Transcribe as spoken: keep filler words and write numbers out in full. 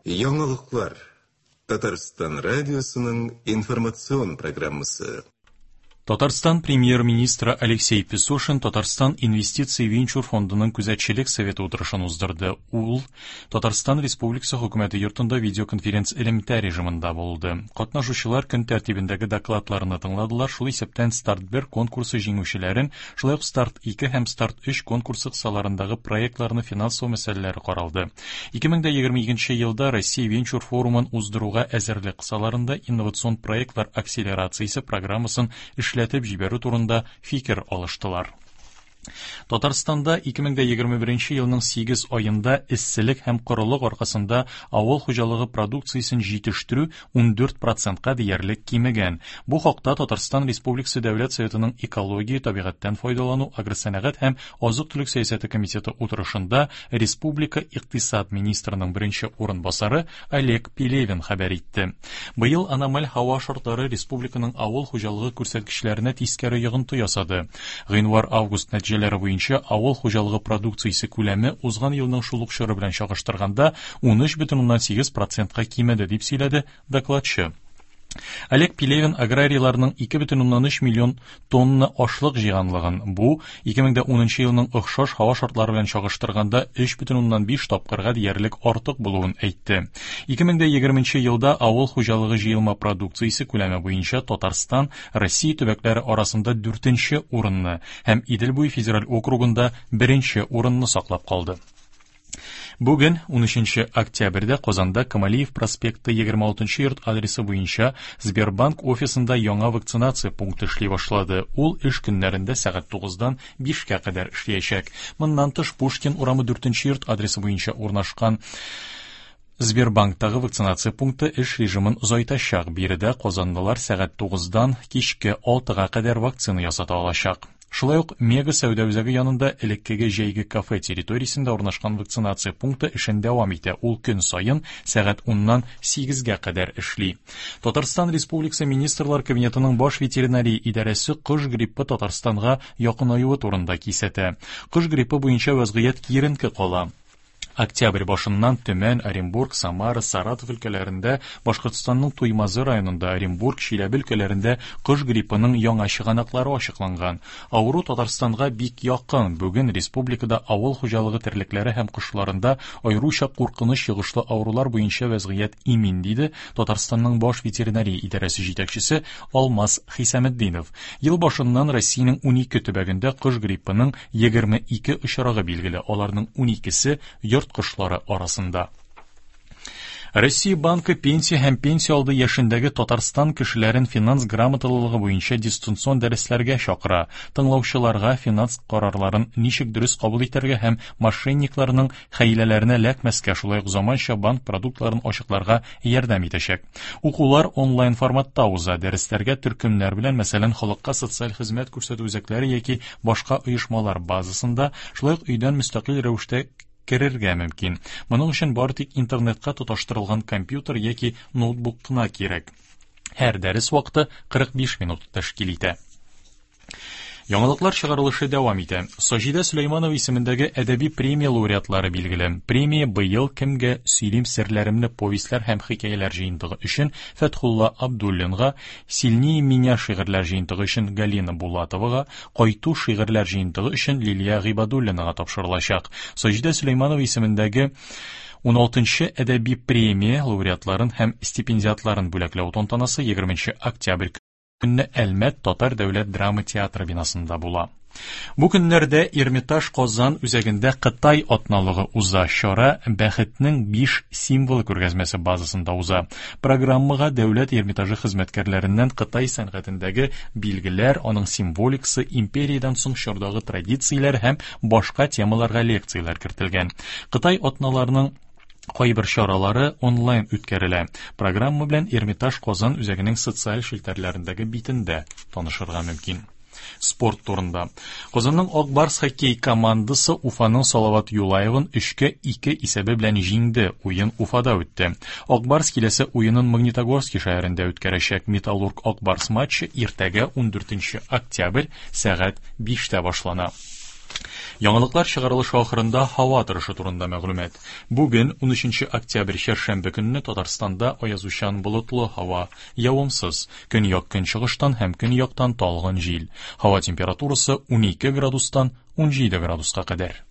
Яңалыклар. Татарстан радиосының информацион программасы. Татарстан премьер-министры Алексей Песошин Татарстан инвестиция венчур фондының күзәтчелек советы утырышын уздырды. Ул Татарстан Республикасы хөкүмәте йортында видеоконференц элемтә режимында булды. Катнашучылар көн тәртибендәге докладларны тыңладылар, шул исәптән Старт бер конкурсы җиңүчеләрен, шулай ук Старт ике һәм Старт өч конкурсы кысаларындагы проектларны финанслау мәсьәләләре каралды. ике мең егерме икенче елда Россия венчур форумын уздыруга әзерлек кысаларында инновацион проектлар акселерациясе программасын эшләтеп җибәрү турында фикер алыштылар. Татарстанда ике мең егерме беренче елның сигез аенда эсселек һәм корылык аркасында авыл хуҗалыгы продукциясен җитештерү ундүрт процентка диярлек кимегән. Бу хакта Татарстан Республикасы Дәүләт Советының экология, табигатьтән файдалану, агросәнәгать һәм азык-төлек сәясәте комитеты утырышында Республика икътисад министрының беренче урынбасары Олег Пелевин хәбәр итте. Быел аномаль һава шартлары республиканың авыл хуҗалыгы күрсәткечләренә тискәре йогынты ясады. Гыйнвар-август нәтиҗәләре буенча авыл хуҗалыгы продукциясе күләме узган елның шул ук чоры белән чагыштырганда унөч бөтен уннан сигез процентка кимеде, дип сөйләде докладчы. Олег Пелевин аграрийларның ике бөтен уннан өч миллион тонна ашлык җыйганлыгын, бу ике мең унынчы елның охшаш һава шартлары белән чагыштырганда өч бөтен уннан биш тапкырга диярлек артык булуын әйтте. Ике мең егерменче елда авыл хуҗалыгы җыелма продукциясе күләме буенча Татарстан Россия төбәкләре арасында дүртенче урынны һәм Идел буе федераль округында беренче урынны саклап калды. Бүген унөченче октябрьдә Казанда Камалиев проспекты егерме алтынчы йорт адресы буенча Сбербанк офисында яңа вакцинация пункты эшли башлады. Ул эш көннәрендә сәгать тугыздан бишкә кадәр эшләячәк. Моннан тыш Пушкин урамы дүртенче йорт адресы буенча урнашкан Сбербанктагы вакцинация пункты эш режимын озайтачак. Биредә казанлылар сәгать тугыздан кичке алтыга кадәр вакцина ясата алачак. Шулай ук Мега сәүдә үзәге янында элеккеге җәйге кафе территориясендә урнашкан вакцинация пункты эшен дәвам итә. Ул көн саен сәгать уннан сигезгә кадәр эшли. Татарстан Республикасы Министрлар Кабинетының баш ветеринария идарәсе кош гриппы Татарстанга якынаюы турында кисәтә. Кош гриппы буенча вазгыять киеренке кала. Октябрь башыннан Төмән, Оренбург, Самара, Саратов өлкәләрендә, Башкортстанның Туймазы районында, Оренбург, Чиләбе өлкәләрендә кош гриппының яңа чыганаклары ачыкланган. Авыру Татарстанга бик якын. Бүген республикада авыл хуҗалыгы терлекләре һәм кошларында аеруча куркыныч йогышлы авырулар буенча вазгыять имин, диде Татарстанның баш ветеринария идарәсе җитәкчесе Алмаз Хисаметдинов. Ел башыннан Россиянең унике төбәгендә кош гриппының егерме ике очрагы билгеле. Аларның уникесе йорт кошлары арасында. Россия банкы пенсия һәм пенсия алды яшендәге Татарстан кешеләрен финанс грамоталылыгы буенча дистанцион дәресләргә чакыра. Тыңлаучыларга финанс карарларын ничек дөрес кабул итәргә һәм мошенникларның хәйләләренә эләкмәскә, шулай ук заманча банк продуктларын ачыкларга ярдәм итәчәк. Укулар онлайн форматта уза. Дәресләргә төркемнәр белән, мәсәлән, халыкка социаль хезмәт күрсәтү үзәкләре яки башка оешмалар базасында, шулай ук өйдән мөстәкыйль рәвештә керергә мөмкин. Моның өчен бары тик интернетка тоташтырылган компьютер яки ноутбук кына кирәк. Һәр дәрес вакыты кырык биш минут тәшкил итә. Яңалыклар чыгарылышы дәвам итә. Саҗидә Сөләйманова исемендәге әдәби премия лауреатлары билгеле. Премия быел кемгә сөйлим серләремне повестьләр һәм хикәяләр җыентыгы өчен Фәтхулла Абдуллинга, Сильнее меня шигырьләр җыентыгы өчен Галина Булатовага, Кайту шигырьләр җыентыгы өчен Лилия Гыйбадуллинага тапшырылачак. Саҗидә Сөләйманова исемендәге уналтынчы әдәби премия лауреатларын һәм стипендиатларын бүләкләү тантанасы егерменче октябрь көнне Әлмәт Татар дәүләт драма театры бинасында була. Бу көннәрдә Эрмитаж Казан үзәгендә Кытай атналыгы уза. Чара Бәхетнең биш символы күргәзмәсе базасында уза. Программага дәүләт Эрмитажы хезмәткәрләреннән Кытай сәнгатендәге билгеләр, аның символикасы, империядән соң чордагы традицияләр һәм башка темаларга лекцияләр кертелгән. Кытай атналарының кайбер чаралары онлайн үткәрелә. Программа белән Эрмитаж Казан үзәгенең социаль челтәрләрендәге битендә танышырга мөмкин. Спорт турында. Казанның Ак Барс хоккей командасы Уфаның Салават Юлаевын өчкә ике исәбе белән җиңде. Уен Уфада үтте. Ак Барс киләсе уенын Магнитогорский шәһәрендә үткәрәчәк. Металлург Ак Барс матчы иртәгә ундүртенче октябрь сәгать биштә башлана. Яңалыклар чыгарылышы ахырында һава торышы турында мәгълүмат. Бүген унөченче октябрь чәршәмбе көнне Татарстанда аязучан болытлы һава, явымсыз, көньяк-көнчыгыштан һәм көньяктан талгын җил. Һава температурасы унике градустан унҗиде градуска кадәр.